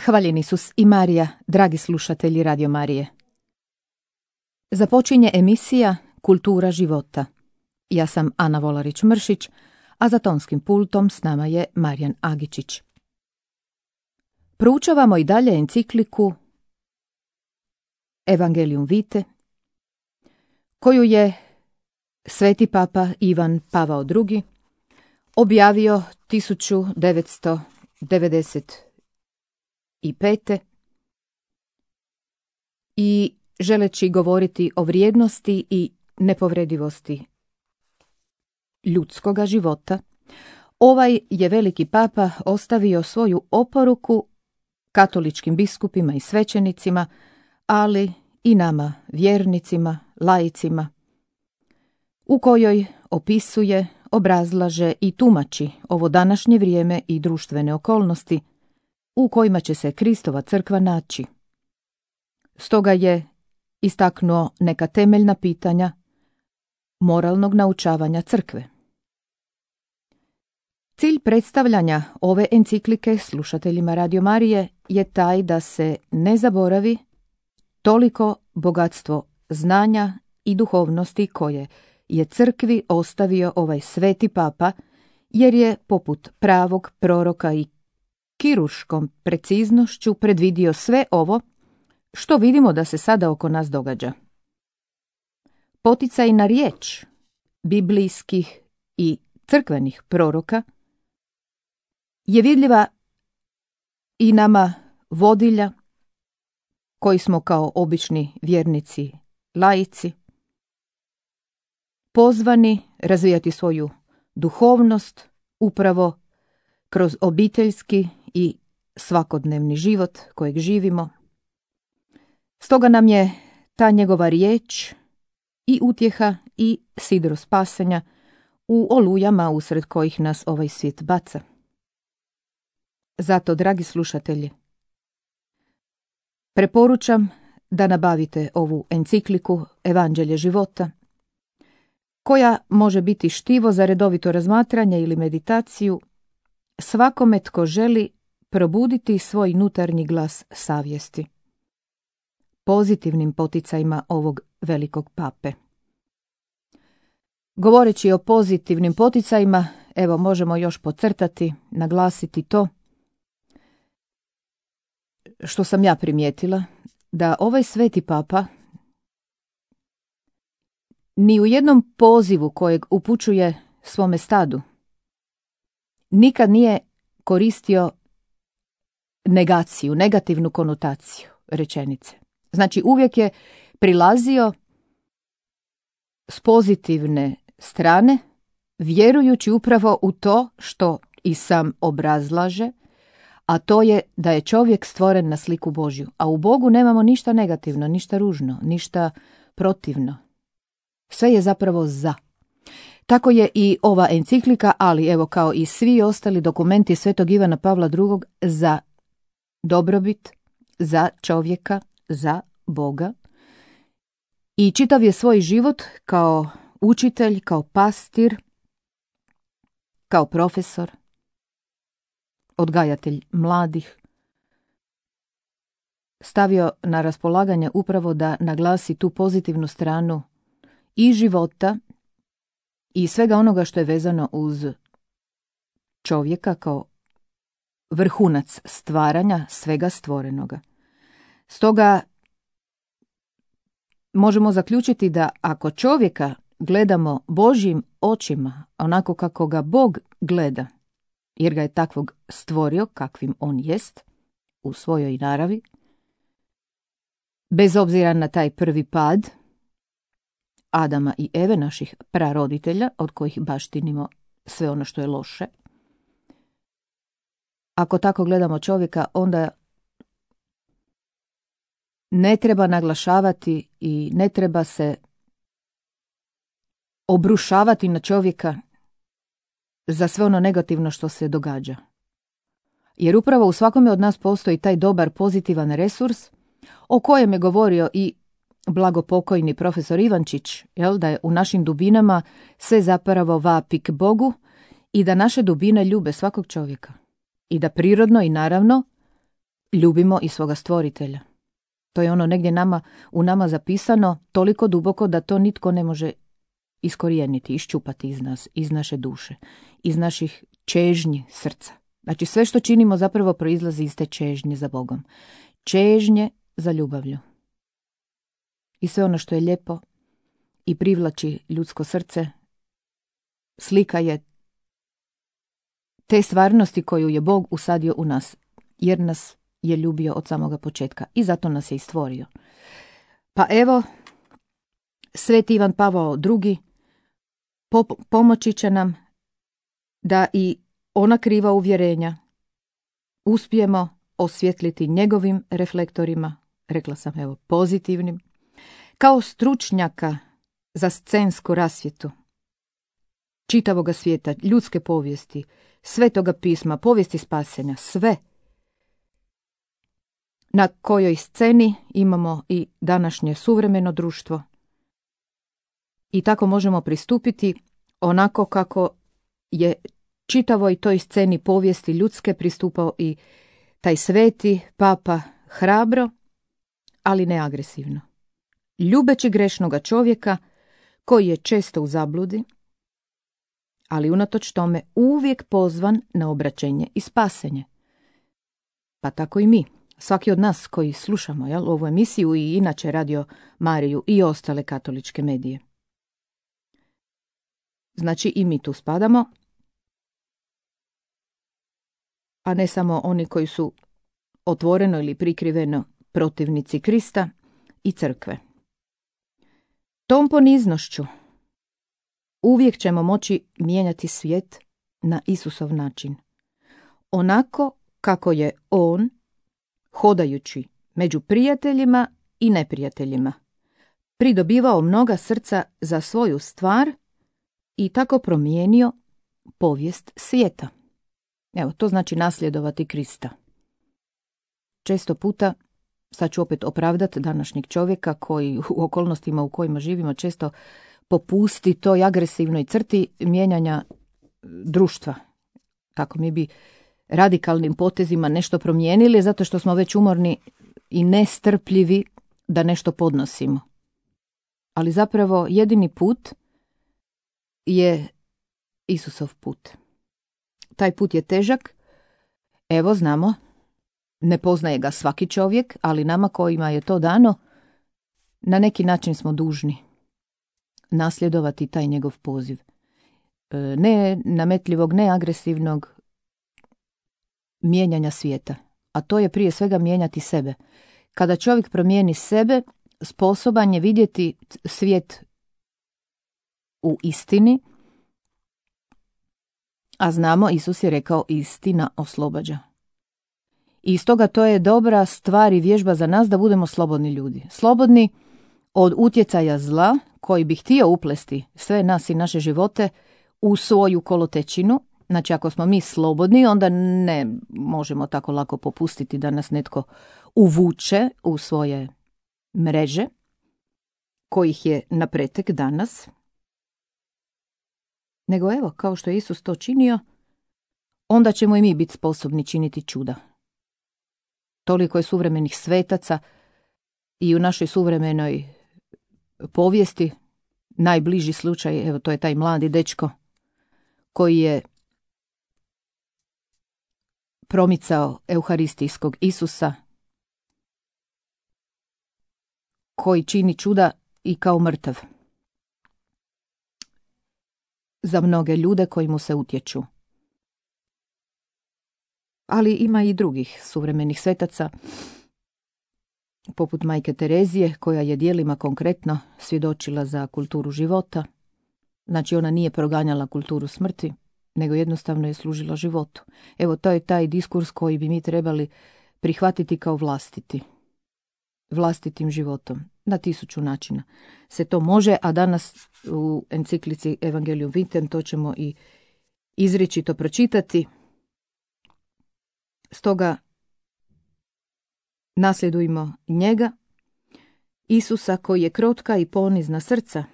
Hvaljen Isus i Marija, dragi slušatelji Radio Marije. Započinje emisija Kultura života. Ja sam Ana Volarić-Mršić, a za tonskim pultom s nama je Marijan Agičić. Proučavamo i dalje encikliku Evangelium Vitae, koju je Sveti Papa Ivan Pavao II. Objavio 1995. i želeći govoriti o vrijednosti i nepovredivosti ljudskoga života, ovaj je veliki papa ostavio svoju oporuku katoličkim biskupima i svećenicima, ali i nama, vjernicima, laicima, u kojoj opisuje, obrazlaže i tumači ovo današnje vrijeme i društvene okolnosti u kojima će se Kristova crkva naći. Stoga je istaknuo neka temeljna pitanja moralnog naučavanja crkve. Cilj predstavljanja ove enciklike slušateljima Radio Marije je taj da se ne zaboravi toliko bogatstvo znanja i duhovnosti koje je crkvi ostavio ovaj sveti papa, jer je poput pravog proroka i kirurškom preciznošću predvidio sve ovo što vidimo da se sada oko nas događa. Poticaj na riječ biblijskih i crkvenih proroka je vidljiva i nama vodilja koji smo kao obični vjernici, laici, pozvani razvijati svoju duhovnost upravo kroz obiteljski i svakodnevni život kojeg živimo. Stoga nam je ta njegova riječ i utjeha i sidro spasenja u olujama usred kojih nas ovaj svijet baca. Zato, dragi slušatelji, preporučam da nabavite ovu encikliku Evanđelje života, koja može biti štivo za redovito razmatranje ili meditaciju svakome tko želi probuditi svoj unutarnji glas savjesti, pozitivnim poticajima ovog velikog pape. Govoreći o pozitivnim poticajima, evo možemo još podcrtati, naglasiti to što sam ja primijetila, da ovaj sveti papa ni u jednom pozivu kojeg upućuje svome stadu nikad nije koristio negaciju, negativnu konotaciju rečenice. Znači uvijek je prilazio s pozitivne strane, vjerujući upravo u to što i sam obrazlaže, a to je da je čovjek stvoren na sliku Božju. A u Bogu nemamo ništa negativno, ništa ružno, ništa protivno. Sve je zapravo za. Tako je i ova enciklika, ali evo kao i svi ostali dokumenti Svetog Ivana Pavla II. Za dobrobit, za čovjeka, za Boga. I čitav je svoj život kao učitelj, kao pastir, kao profesor, odgajatelj mladih, stavio na raspolaganje upravo da naglasi tu pozitivnu stranu i života i svega onoga što je vezano uz čovjeka kao vrhunac stvaranja svega stvorenoga. Stoga možemo zaključiti da ako čovjeka gledamo Božjim očima, onako kako ga Bog gleda, jer ga je takvog stvorio kakvim on jest, u svojoj naravi, bez obzira na taj prvi pad Adama i Eve, naših praroditelja, od kojih baštinimo sve ono što je loše. Ako tako gledamo čovjeka, onda ne treba naglašavati i ne treba se obrušavati na čovjeka za sve ono negativno što se događa. Jer upravo u svakome od nas postoji taj dobar pozitivan resurs o kojem je govorio i blagopokojni profesor Ivančić, da je u našim dubinama sve zapravo vapi k Bogu i da naše dubine ljube svakog čovjeka. I da prirodno i naravno ljubimo i svoga stvoritelja. To je ono negdje u nama zapisano toliko duboko da to nitko ne može iskorijeniti, iščupati iz nas, iz naše duše, iz naših čežnji srca. Znači sve što činimo zapravo proizlazi iz te čežnje za Bogom. Čežnje za ljubavlju. I sve ono što je lijepo i privlači ljudsko srce, slika je te stvarnosti koju je Bog usadio u nas, jer nas je ljubio od samoga početka i zato nas je i stvorio. Pa evo, Sveti Ivan Pavao II pomoći će nam da i ona kriva uvjerenja uspijemo osvjetliti njegovim reflektorima, rekla sam evo pozitivnim, kao stručnjaka za scensku rasvjetu čitavoga svijeta, ljudske povijesti, Svetoga pisma, povijesti spasenja, sve na kojoj sceni imamo i današnje suvremeno društvo. I tako možemo pristupiti onako kako je čitavoj toj sceni povijesti ljudske pristupao i taj sveti papa, hrabro, ali ne agresivno. Ljubeći grešnoga čovjeka koji je često u zabludi, ali unatoč tome uvijek pozvan na obraćenje i spasenje. Pa tako i mi, svaki od nas koji slušamo ovu emisiju i inače Radio Mariju i ostale katoličke medije. Znači i mi tu spadamo, a ne samo oni koji su otvoreno ili prikriveno protivnici Krista i crkve. Tom poniznošću uvijek ćemo moći mijenjati svijet na Isusov način. Onako kako je on, hodajući među prijateljima i neprijateljima, pridobivao mnoga srca za svoju stvar i tako promijenio povijest svijeta. Evo, to znači nasljedovati Krista. Često puta, sad ću opet opravdati današnjeg čovjeka koji u okolnostima u kojima živimo često popusti toj agresivnoj crti mijenjanja društva. Kako mi bi radikalnim potezima nešto promijenili zato što smo već umorni i nestrpljivi da nešto podnosimo. Ali zapravo jedini put je Isusov put. Taj put je težak, evo znamo, ne poznaje ga svaki čovjek, ali nama kojima je to dano, na neki način smo dužni nasljedovati taj njegov poziv. Ne nametljivog, ne agresivnog mijenjanja svijeta, a to je prije svega mijenjati sebe. Kada čovjek promijeni sebe, sposoban je vidjeti svijet u istini, a znamo, Isus je rekao, istina oslobađa. I stoga to je dobra stvar i vježba za nas da budemo slobodni ljudi. Slobodni od utjecaja zla koji bi htio uplesti sve nas i naše živote u svoju kolotečinu. Znači ako smo mi slobodni, onda ne možemo tako lako popustiti da nas netko uvuče u svoje mreže, kojih je na pretek danas. Nego evo, kao što je Isus to činio, onda ćemo i mi biti sposobni činiti čuda. Toliko je suvremenih svetaca i u našoj suvremenoj povijesti najbliži slučaj, evo to je taj mladi dečko koji je promicao euharistijskog Isusa, koji čini čuda i kao mrtav za mnoge ljude koji mu se utječu. Ali ima i drugih suvremenih svetaca, poput majke Terezije, koja je djelima konkretno svjedočila za kulturu života. Znači ona nije proganjala kulturu smrti, nego jednostavno je služila životu. Evo, to je taj diskurs koji bi mi trebali prihvatiti kao vlastitim životom. Na 1000 načina se to može, a danas u enciklici Evangelium Vitem to ćemo i izričito pročitati. Stoga nasljedujmo njega, Isusa koji je krotka i ponizna srca.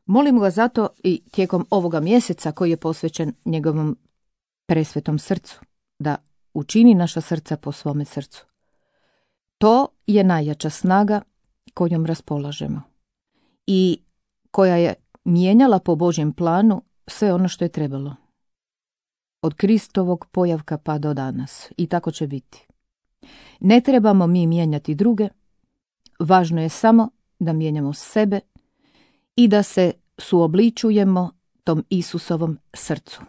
Molimo ga zato i tijekom ovoga mjeseca koji je posvećen njegovom presvetom srcu, da učini naša srca po svome srcu. To je najjača snaga kojom raspolažemo i koja je mijenjala po Božjem planu sve ono što je trebalo. Od Kristovog pojavka pa do danas. I tako će biti. Ne trebamo mi mijenjati druge, važno je samo da mijenjamo sebe i da se suobličujemo tom Isusovom srcu.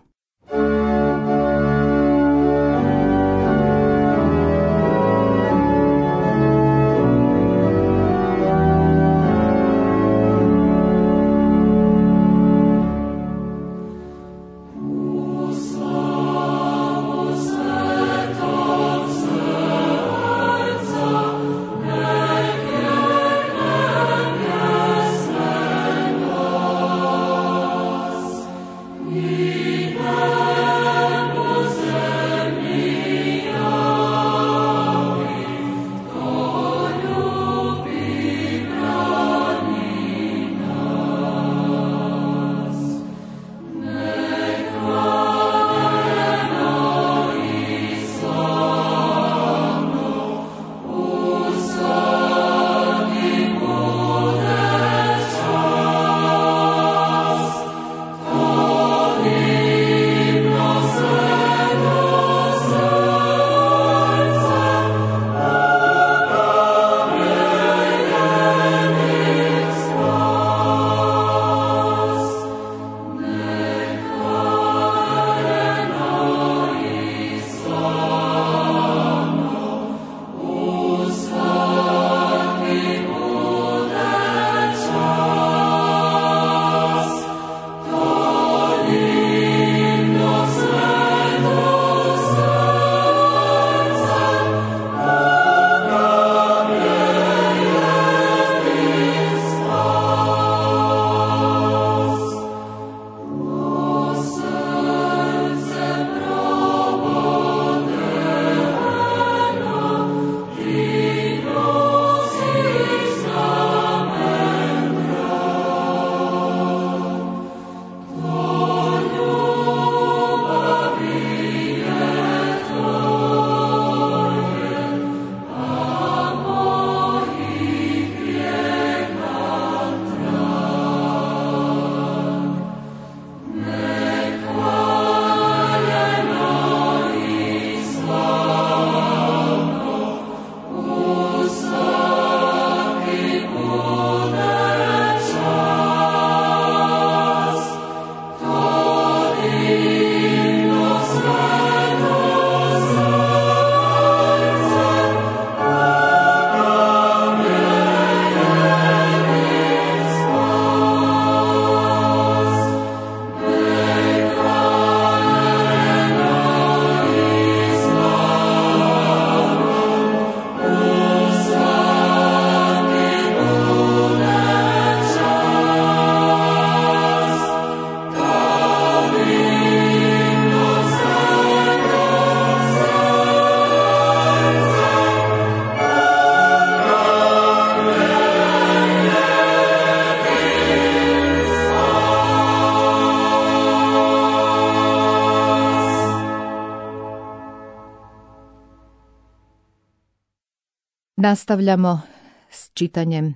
Nastavljamo s čitanjem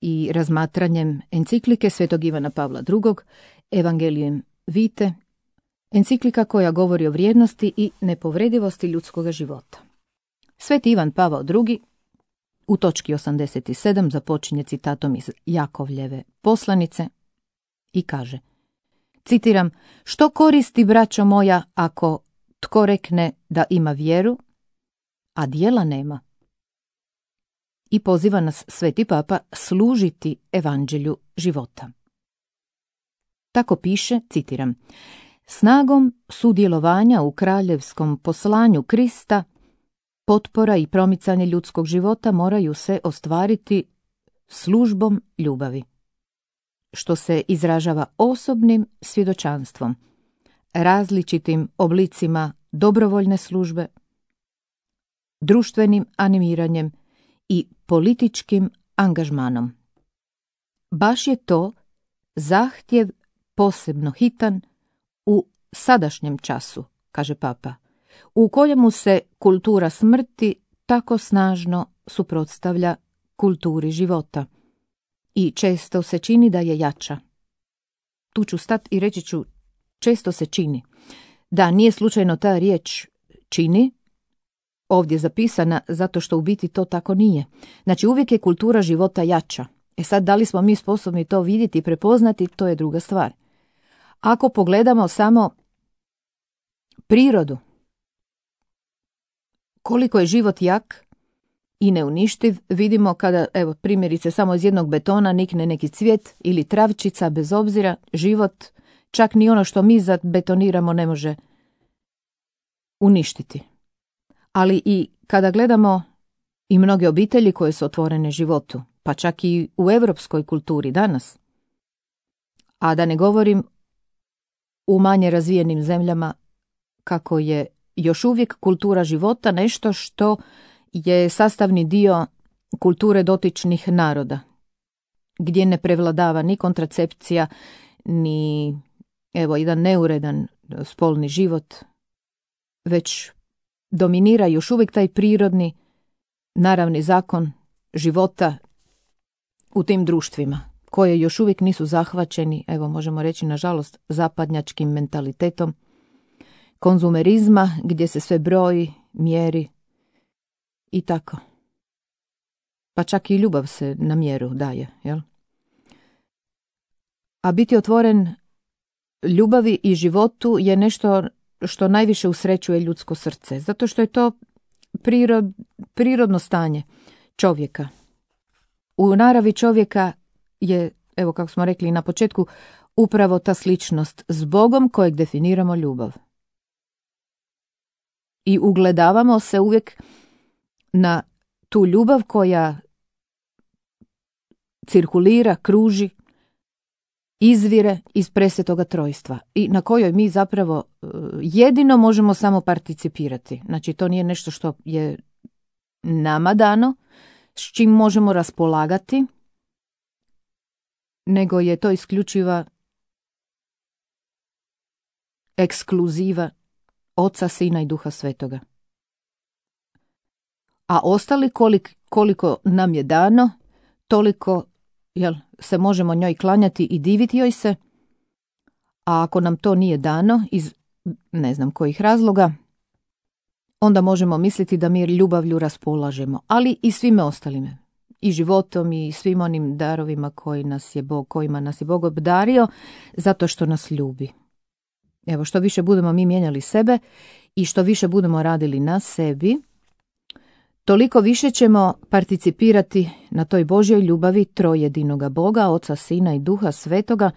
i razmatranjem enciklike Svetog Ivana Pavla II. Evangelium Vitae, enciklika koja govori o vrijednosti i nepovredivosti ljudskog života. Sveti Ivan Pavao II. U točki 87 započinje citatom iz Jakovljeve poslanice i kaže, citiram, što koristi, braćo moja, ako tko rekne da ima vjeru, a djela nema? I poziva nas Sveti Papa služiti evanđelju života. Tako piše, citiram, snagom sudjelovanja u kraljevskom poslanju Krista, potpora i promicanje ljudskog života moraju se ostvariti službom ljubavi, što se izražava osobnim svjedočanstvom, različitim oblicima dobrovoljne službe, društvenim animiranjem i političkim angažmanom. Baš je to zahtjev posebno hitan u sadašnjem času, kaže Papa, u kojemu se kultura smrti tako snažno suprotstavlja kulturi života i često se čini da je jača. Tu ću stati i reći ću često se čini. Da, nije slučajno ta riječ čini ovdje zapisana zato što u biti to tako nije. Znači uvijek je kultura života jača. Sad da li smo mi sposobni to vidjeti i prepoznati, to je druga stvar. Ako pogledamo samo prirodu, koliko je život jak i neuništiv, vidimo kada, evo primjerice, samo iz jednog betona nikne neki cvijet ili travčica, bez obzira, život, čak ni ono što mi zabetoniramo ne može uništiti. Ali i kada gledamo i mnoge obitelji koje su otvorene životu, pa čak i u europskoj kulturi danas, a da ne govorim u manje razvijenim zemljama, kako je još uvijek kultura života nešto što je sastavni dio kulture dotičnih naroda, gdje ne prevladava ni kontracepcija, ni jedan neuredan spolni život, već dominira još uvijek taj prirodni, naravni zakon života u tim društvima, koje još uvijek nisu zahvaćeni, možemo reći nažalost, zapadnjačkim mentalitetom konzumerizma, gdje se sve broji, mjeri i tako. Pa čak i ljubav se na mjeru daje, jel? A biti otvoren ljubavi i životu je nešto što najviše usrećuje ljudsko srce, zato što je to prirodno stanje čovjeka. U naravi čovjeka je, kako smo rekli na početku, upravo ta sličnost s Bogom kojeg definiramo ljubav. I ugledavamo se uvijek na tu ljubav koja cirkulira, kruži, izvire iz presvetoga trojstva i na kojoj mi zapravo jedino možemo samo participirati. Znači to nije nešto što je nama dano, s čim možemo raspolagati, nego je to isključiva ekskluziva Oca, Sina i Duha Svetoga. A ostali koliko nam je dano, toliko se možemo njoj klanjati i diviti joj se, a ako nam to nije dano iz ne znam kojih razloga, onda možemo misliti da mi ljubavlju raspolažemo, ali i svime ostalime, i životom i svim onim darovima kojima nas je Bog obdario, zato što nas ljubi. Što više budemo mi mijenjali sebe i što više budemo radili na sebi, toliko više ćemo participirati na toj Božjoj ljubavi trojedinoga Boga, Oca, Sina i Duha Svetoga,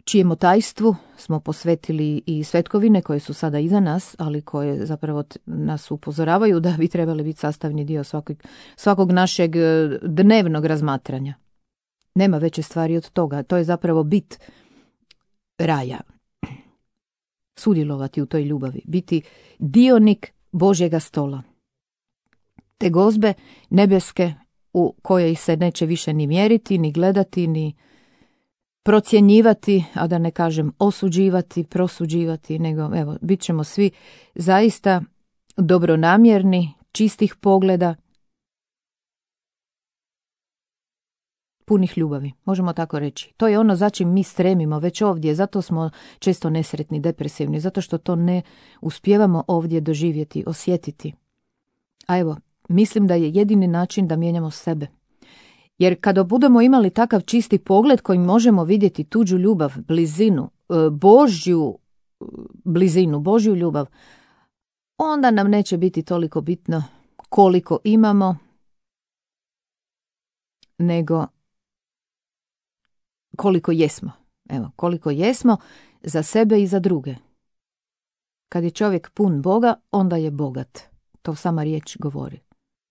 čijemu tajstvu smo posvetili i svetkovine koje su sada iza nas, ali koje zapravo nas upozoravaju da bi trebali biti sastavni dio svakog našeg dnevnog razmatranja. Nema veće stvari od toga. To je zapravo bit raja. Sudjelovati u toj ljubavi. Biti dionik Božjega stola. Te gozbe nebeske u kojoj se neće više ni mjeriti, ni gledati, ni procjenjivati, a da ne kažem osuđivati, prosuđivati, nego bit ćemo svi zaista dobronamjerni, čistih pogleda, punih ljubavi, možemo tako reći. To je ono za čim mi stremimo već ovdje, zato smo često nesretni, depresivni, zato što to ne uspijevamo ovdje doživjeti, osjetiti. A mislim da je jedini način da mijenjamo sebe. Jer kada budemo imali takav čisti pogled kojim možemo vidjeti tuđu ljubav, blizinu, Božju blizinu, Božju ljubav, onda nam neće biti toliko bitno koliko imamo, nego koliko jesmo. Koliko jesmo za sebe i za druge. Kad je čovjek pun Boga, onda je bogat. To sama riječ govori.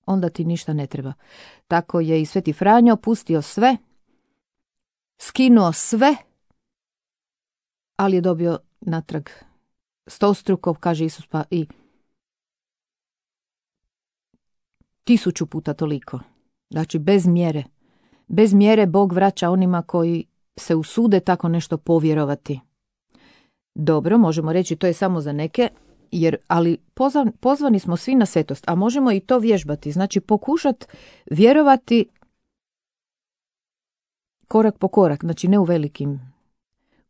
Onda ti ništa ne treba. Tako je i Sveti Franjo pustio sve, skinuo sve, ali je dobio natrag stostruko, kaže Isus, pa i 1000 puta toliko. Znači bez mjere. Bez mjere Bog vraća onima koji se usude tako nešto povjerovati. Dobro, možemo reći to je samo za neke, ali pozvani smo svi na svetost, a možemo i to vježbati, znači pokušati vjerovati korak po korak, znači ne u velikim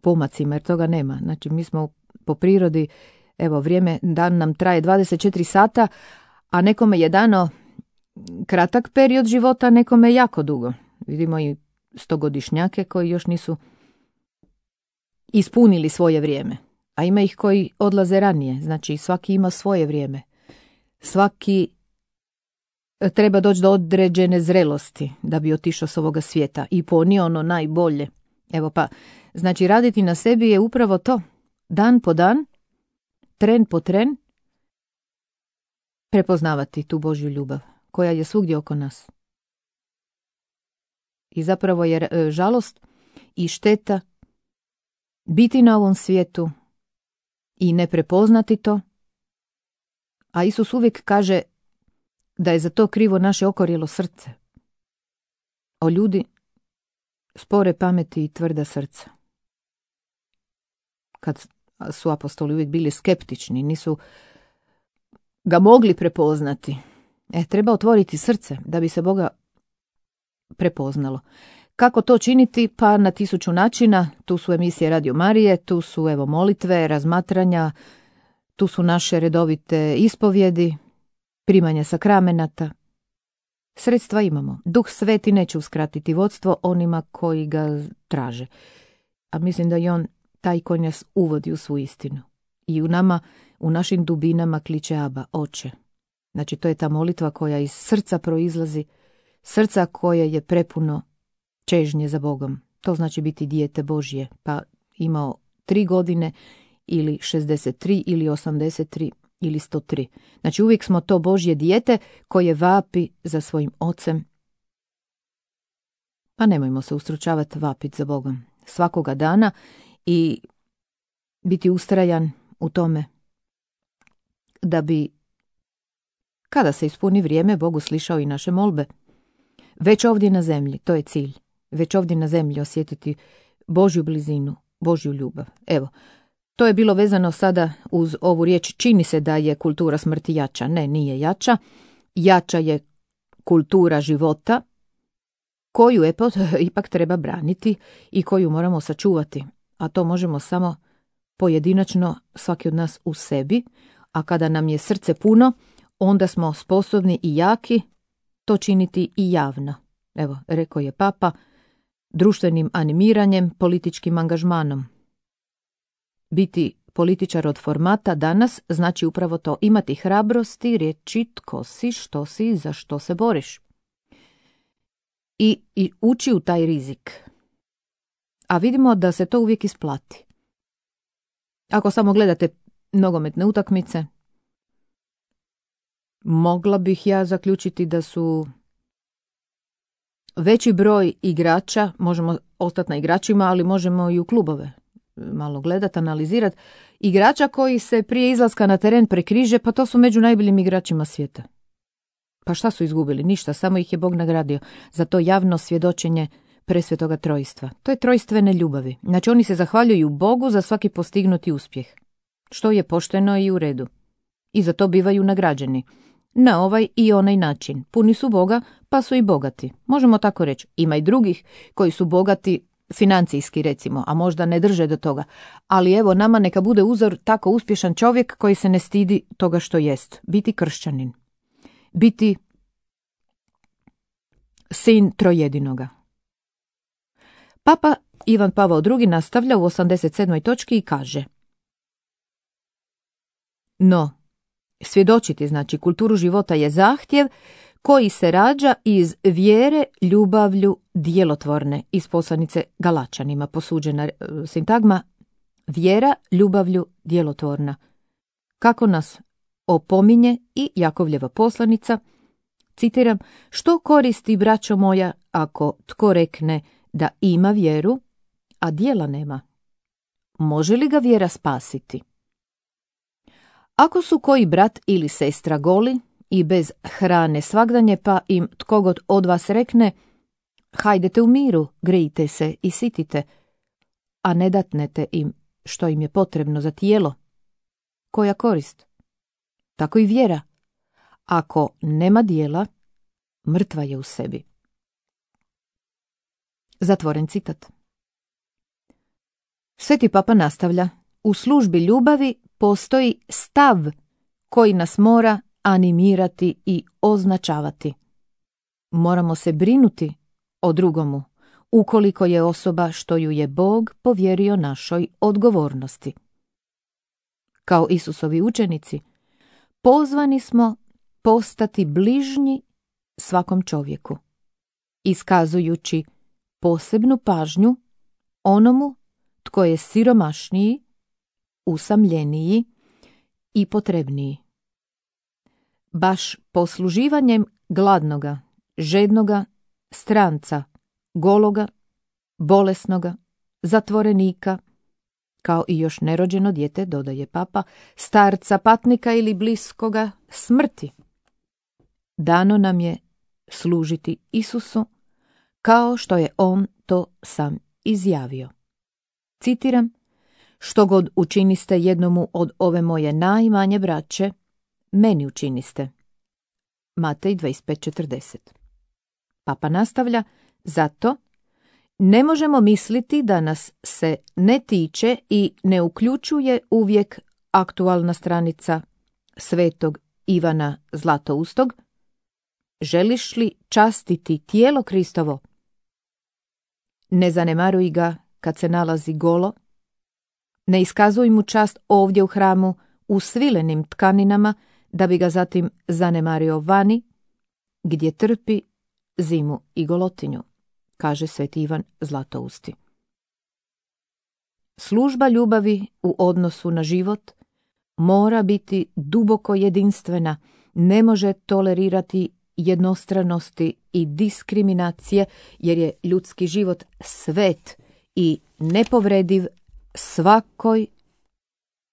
pomacima, jer toga nema. Znači mi smo po prirodi, evo dan nam traje 24 sata, a nekome je dano kratak period života, nekome jako dugo. Vidimo i 100-godišnjake koji još nisu ispunili svoje vrijeme. A ima ih koji odlaze ranije, znači svaki ima svoje vrijeme. Svaki treba doći do određene zrelosti da bi otišao s ovoga svijeta i ponio ono najbolje. Evo pa, znači raditi na sebi je upravo to. Dan po dan, tren po tren, prepoznavati tu Božju ljubav koja je svugdje oko nas. I zapravo je žalost i šteta biti na ovom svijetu i ne prepoznati to, a Isus uvijek kaže da je za to krivo naše okorjelo srce. O ljudi spore pameti i tvrda srca. Kad su apostoli uvijek bili skeptični, nisu ga mogli prepoznati. Treba otvoriti srce da bi se Boga prepoznalo. Kako to činiti? Pa na 1000 načina. Tu su emisije Radio Marije, tu su molitve, razmatranja, tu su naše redovite ispovjedi, primanje sakramenata. Sredstva imamo. Duh Sveti neće uskratiti vodstvo onima koji ga traže. A mislim da je on taj koji nas uvodi u svu istinu. I u nama, u našim dubinama kliče Aba, Oče. Znači to je ta molitva koja iz srca proizlazi, srca koje je prepuno čežnje za Bogom. To znači biti dijete Božje, pa imao 3 godine ili 63 ili 83 ili 103. Znači uvijek smo to Božje dijete koje vapi za svojim ocem. Pa nemojmo se ustručavati vapiti za Bogom svakoga dana i biti ustrajan u tome da bi, kada se ispuni vrijeme, Bog uslišao i naše molbe. Već ovdje na zemlji, to je cilj. Već ovdje na zemlji osjetiti Božju blizinu, Božju ljubav. Evo, to je bilo vezano sada uz ovu riječ. Čini se da je kultura smrti jača. Ne, nije jača. Jača je kultura života koju ipak treba braniti i koju moramo sačuvati. A to možemo samo pojedinačno, svaki od nas u sebi. A kada nam je srce puno, onda smo sposobni i jaki to činiti i javno. Evo, rekao je Papa, društvenim animiranjem, političkim angažmanom. Biti političar od formata danas znači upravo to, imati hrabrosti, reći tko si, što si, za što se boriš. I ući u taj rizik. A vidimo da se to uvijek isplati. Ako samo gledate nogometne utakmice, mogla bih ja zaključiti da su veći broj igrača, možemo ostati na igračima, ali možemo i u klubove malo gledati, analizirati, igrača koji se prije izlaska na teren prekriže, pa to su među najboljim igračima svijeta. Pa šta su izgubili? Ništa, samo ih je Bog nagradio za to javno svjedočenje presvetoga trojstva. To je trojstvene ljubavi. Znači oni se zahvaljuju Bogu za svaki postignuti uspjeh, što je pošteno i u redu. I za to bivaju nagrađeni. Na ovaj i onaj način. Puni su Boga, pa su i bogati. Možemo tako reći. Ima i drugih koji su bogati financijski, recimo, a možda ne drže do toga. Ali evo, nama neka bude uzor tako uspješan čovjek koji se ne stidi toga što jest. Biti kršćanin. Biti sin trojedinoga. Papa Ivan Pavao II nastavlja u 87. točki i kaže: no, svjedočiti, znači kulturu života, je zahtjev koji se rađa iz vjere ljubavlju djelotvorne, iz poslanice Galačanima, posuđena sintagma vjera ljubavlju djelotvorna. Kako nas opominje i Jakovljeva poslanica, citiram, što koristi, braćo moja, ako tko rekne da ima vjeru, a djela nema? Može li ga vjera spasiti? Ako su koji brat ili sestra goli i bez hrane svagdanje, pa im tko god od vas rekne, hajdete u miru, grejte se i sitite, a ne datnete im što im je potrebno za tijelo. Koja korist? Tako i vjera. Ako nema dijela, mrtva je u sebi. Zatvoren citat. Sveti Papa nastavlja: u službi ljubavi postoji stav koji nas mora animirati i označavati. Moramo se brinuti o drugomu, ukoliko je osoba što ju je Bog povjerio našoj odgovornosti. Kao Isusovi učenici, pozvani smo postati bližnji svakom čovjeku, iskazujući posebnu pažnju onomu tko je siromašniji, usamljeniji i potrebniji. Baš posluživanjem gladnoga, žednoga, stranca, gologa, bolesnoga, zatvorenika, kao i još nerođeno dijete, dodaje Papa, starca, patnika ili bliskoga smrti. Dano nam je služiti Isusu kao što je on to sam izjavio. Citiram: što god učiniste jednomu od ove moje najmanje braće, meni učiniste. Matej 25:40. Papa nastavlja: zato ne možemo misliti da nas se ne tiče i ne uključuje uvijek aktualna stranica svetog Ivana Zlatoustog: želiš li častiti tijelo Kristovo? Ne zanemaruj ga kad se nalazi golo, ne iskazuj mu čast ovdje u hramu u svilenim tkaninama, da bi ga zatim zanemario vani, gdje trpi zimu i golotinju, kaže sveti Ivan Zlatousti. Služba ljubavi u odnosu na život mora biti duboko jedinstvena, ne može tolerirati jednostranosti i diskriminacije, jer je ljudski život svet i nepovrediv svakoj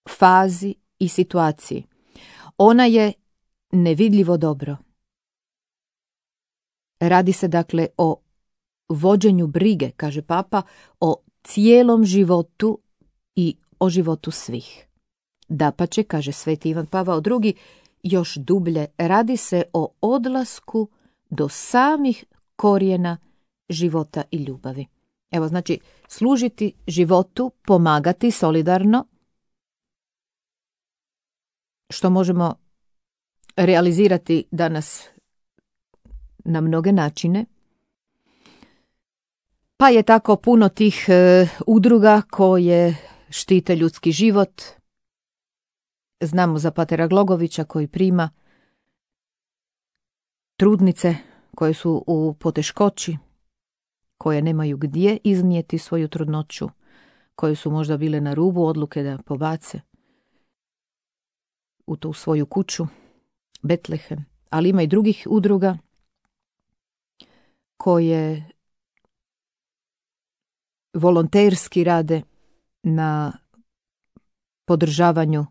fazi i situaciji. Ona je nevidljivo dobro. Radi se dakle o vođenju brige, kaže Papa, o cijelom životu i o životu svih. Dapače, kaže sveti Ivan Pavao II, još dublje, radi se o odlasku do samih korijena života i ljubavi. Evo, znači, služiti životu, pomagati solidarno, što možemo realizirati danas na mnoge načine. Pa je tako puno tih udruga koje štite ljudski život. Znamo za patera Glogovića koji prima trudnice koje su u poteškoći, koje nemaju gdje iznijeti svoju trudnoću, koje su možda bile na rubu odluke da pobace u tu svoju kuću, Betlehem. Ali ima i drugih udruga koje volonterski rade na podržavanju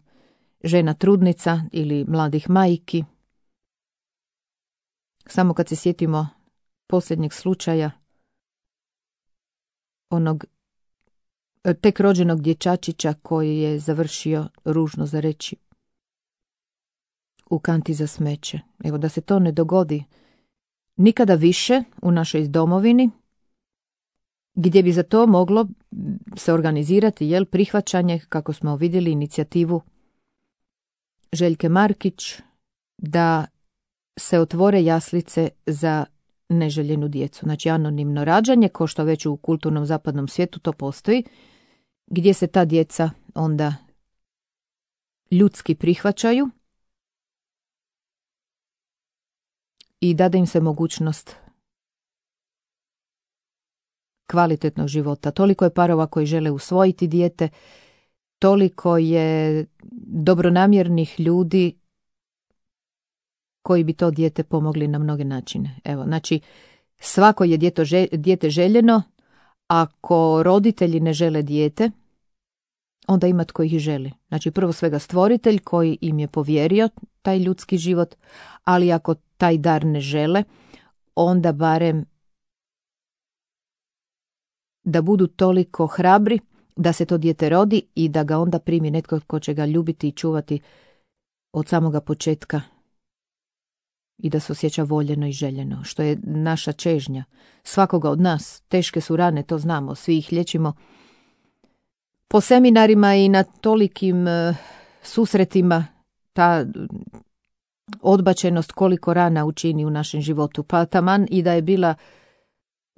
žena trudnica ili mladih majki. Samo kad se sjetimo posljednjeg slučaja onog tek rođenog dječačića koji je završio, ružno za reći, u kanti za smeće. Evo, da se to ne dogodi nikada više u našoj domovini, gdje bi za to moglo se organizirati prihvaćanje, kako smo vidjeli, inicijativu Željke Markić da se otvore jaslice za neželjenu djecu. Znači anonimno rađanje, ko što već u kulturnom zapadnom svijetu to postoji, gdje se ta djeca onda ljudski prihvaćaju i dade im se mogućnost kvalitetnog života. Toliko je parova koji žele usvojiti dijete, toliko je dobronamjernih ljudi koji bi to dijete pomogli na mnoge načine. Evo, znači, svako je dijete željeno. Ako roditelji ne žele dijete, onda ima tko ih želi. Znači, prvo svega stvoritelj koji im je povjerio taj ljudski život, ali ako taj dar ne žele, onda barem da budu toliko hrabri da se to dijete rodi i da ga onda primi netko tko će ga ljubiti i čuvati od samoga početka i da se osjeća voljeno i željeno, što je naša čežnja. Svakoga od nas, teške su rane, to znamo, svi ih liječimo po seminarima i na tolikim susretima, ta odbačenost koliko rana učini u našem životu. Pa taman i da je bila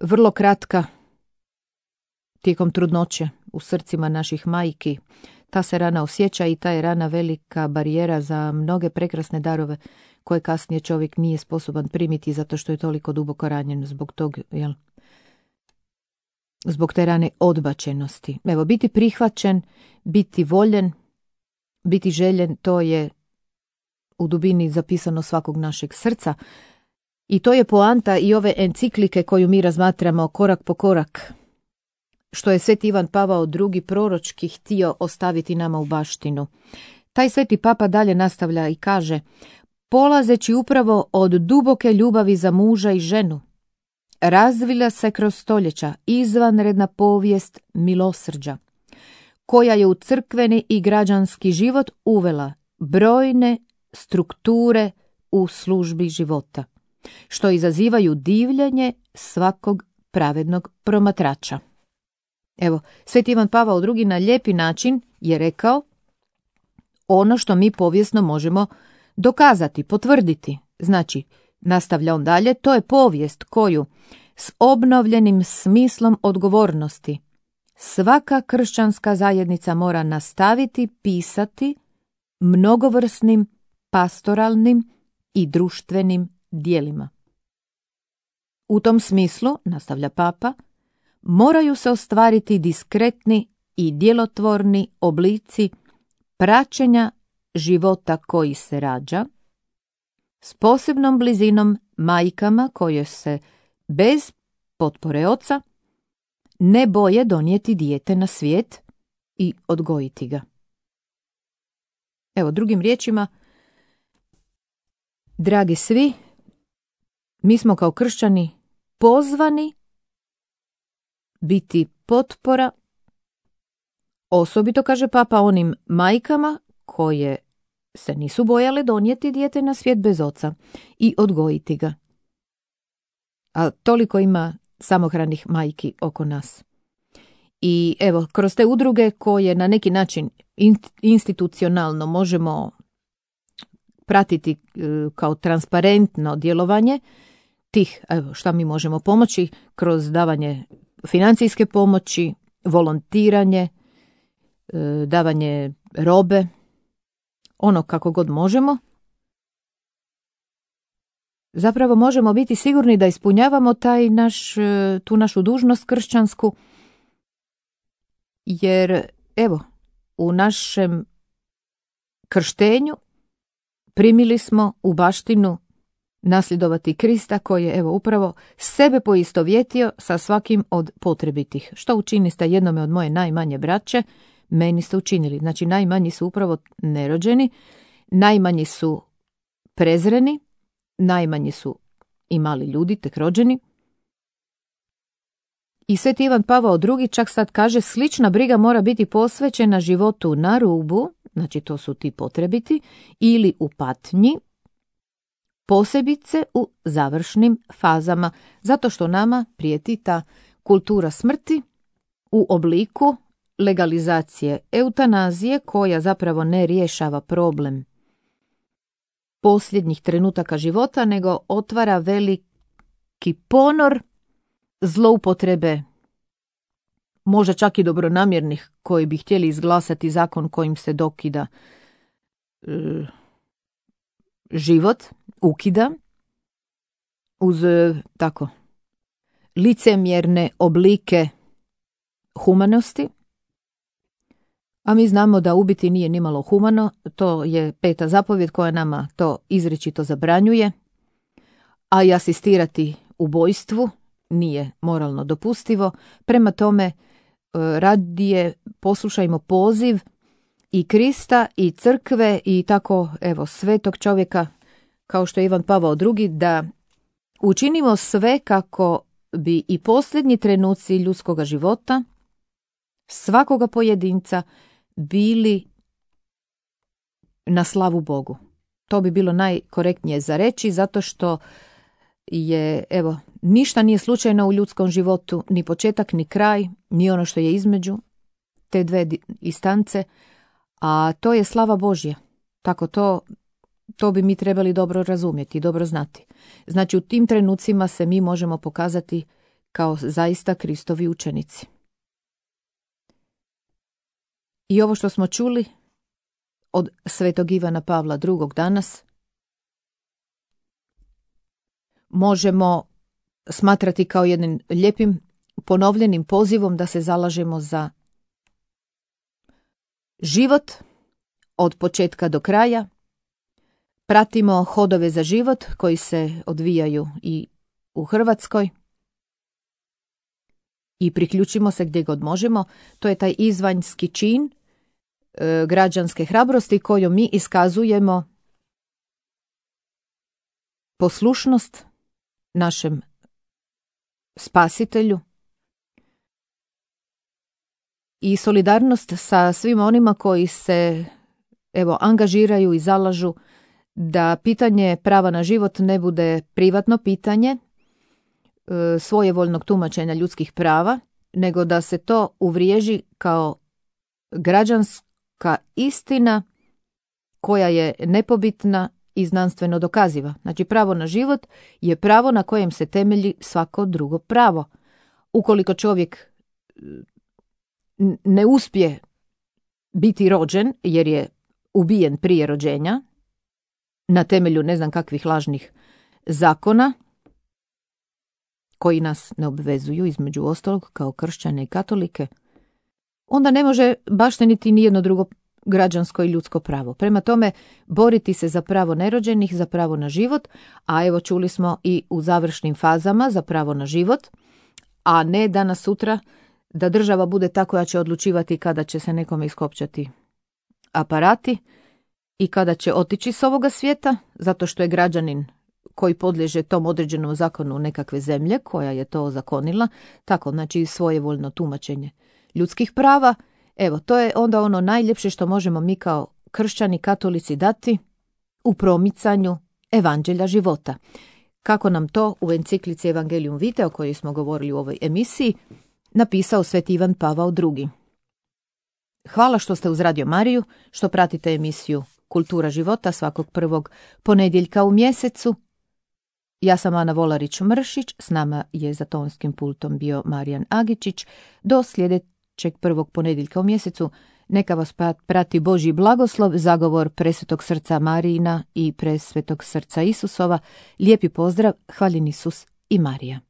vrlo kratka tijekom trudnoće u srcima naših majki, ta se rana osjeća i ta je rana velika barijera za mnoge prekrasne darove koje kasnije čovjek nije sposoban primiti zato što je toliko duboko ranjen zbog tog, zbog te rane odbačenosti. Evo, biti prihvaćen, biti voljen, biti željen, to je u dubini zapisano svakog našeg srca i to je poanta i ove enciklike koju mi razmatramo korak po korak, što je Sveti Ivan Pavao II proročki htio ostaviti nama u baštinu. Taj Sveti Papa dalje nastavlja i kaže: polazeći upravo od duboke ljubavi za muža i ženu, razvila se kroz stoljeća izvanredna povijest milosrđa, koja je u crkveni i građanski život uvela brojne strukture u službi života, što izazivaju divljenje svakog pravednog promatrača. Evo, Sveti Ivan Pavao II na lijepi način je rekao ono što mi povijesno možemo dokazati, potvrditi. Znači, nastavlja on dalje, to je povijest koju s obnovljenim smislom odgovornosti svaka kršćanska zajednica mora nastaviti pisati mnogovrsnim pastoralnim i društvenim djelima. U tom smislu, nastavlja Papa, moraju se ostvariti diskretni i djelotvorni oblici praćenja života koji se rađa, s posebnom blizinom majkama koje se bez potpore oca ne boje donijeti dijete na svijet i odgojiti ga. Evo, drugim riječima, dragi svi, mi smo kao kršćani pozvani biti potpora, osobito, kaže Papa, onim majkama koje se nisu bojale donijeti dijete na svijet bez oca i odgojiti ga. A toliko ima samohranih majki oko nas. I evo, kroz te udruge koje na neki način institucionalno možemo pratiti kao transparentno djelovanje tih, evo, šta mi možemo pomoći kroz davanje financijske pomoći, volontiranje, davanje robe, ono kako god možemo. Zapravo možemo biti sigurni da ispunjavamo tu našu dužnost kršćansku, jer evo, u našem krštenju primili smo u baštinu nasljedovati Krista koji je, evo, upravo sebe poistovjetio sa svakim od potrebitih. Što učiniste jednome od moje najmanje braće, meni ste učinili. Znači, najmanji su upravo nerođeni, najmanji su prezreni, najmanji su i mali ljudi, tek rođeni. I Sveti Ivan Pavao II čak sad kaže, slična briga mora biti posvećena životu na rubu, znači to su ti potrebiti, ili u patnji, posebice u završnim fazama, zato što nama prijeti ta kultura smrti u obliku legalizacije eutanazije, koja zapravo ne rješava problem posljednjih trenutaka života, nego otvara veliki ponor zloupotrebe, možda čak i dobronamjernih, koji bi htjeli izglasati zakon kojim se dokida život, ukida, uz tako licemjerne oblike humanosti. A mi znamo da ubiti nije nimalo humano, to je 5. zapovjed koja nama to izričito zabranjuje, a i asistirati ubojstvu nije moralno dopustivo. Prema tome, radije poslušajmo poziv i Krista i crkve i tako, evo, svetog čovjeka kao što je Ivan Pavao II, da učinimo sve kako bi i posljednji trenuci ljudskoga života svakoga pojedinca bili na slavu Bogu. To bi bilo najkorektnije za reći, zato što je, ništa nije slučajno u ljudskom životu, ni početak, ni kraj, ni ono što je između te dve instance, a to je slava Božja. Tako to bi mi trebali dobro razumjeti, dobro znati. Znači, u tim trenucima se mi možemo pokazati kao zaista Kristovi učenici. I ovo što smo čuli od svetog Ivana Pavla II. Danas možemo smatrati kao jednim lijepim ponovljenim pozivom da se zalažemo za život od početka do kraja, pratimo hodove za život koji se odvijaju i u Hrvatskoj i priključimo se gdje god možemo. To je taj izvanjski čin građanske hrabrosti kojom mi iskazujemo poslušnost našem spasitelju i solidarnost sa svim onima koji se angažiraju i zalažu da pitanje prava na život ne bude privatno pitanje svojevoljnog tumačenja ljudskih prava, nego da se to uvriježi kao građanska istina koja je nepobitna i znanstveno dokaziva. Znači, pravo na život je pravo na kojem se temelji svako drugo pravo. Ukoliko čovjek ne uspije biti rođen jer je ubijen prije rođenja na temelju ne znam kakvih lažnih zakona koji nas ne obvezuju, između ostalog, kao kršćane i katolike, onda ne može bašteniti nijedno drugo građansko i ljudsko pravo. Prema tome, boriti se za pravo nerođenih, za pravo na život, a evo čuli smo i u završnim fazama za pravo na život, a ne danas sutra da država bude ta koja će odlučivati kada će se nekome iskopčati aparati i kada će otići s ovoga svijeta, zato što je građanin koji podliježe tom određenom zakonu nekakve zemlje koja je to ozakonila, tako, znači svojevoljno tumačenje ljudskih prava. Evo, to je onda ono najljepše što možemo mi kao kršćani, katolici dati u promicanju evanđelja života. Kako nam to u enciklici Evangelium Vitae, o kojoj smo govorili u ovoj emisiji, napisao sveti Ivan Pavao II. Hvala što ste uz Radio Mariju, što pratite emisiju Kultura života svakog prvog ponedjeljka u mjesecu. Ja sam Ana Volarić-Mršić, s nama je za tonskim pultom bio Marijan Agičić. Do sljedećeg prvog ponedjeljka u mjesecu neka vas prati Božji blagoslov, zagovor Presvetog srca Marijina i Presvetog srca Isusova. Lijepi pozdrav, hvaljen Isus i Marija.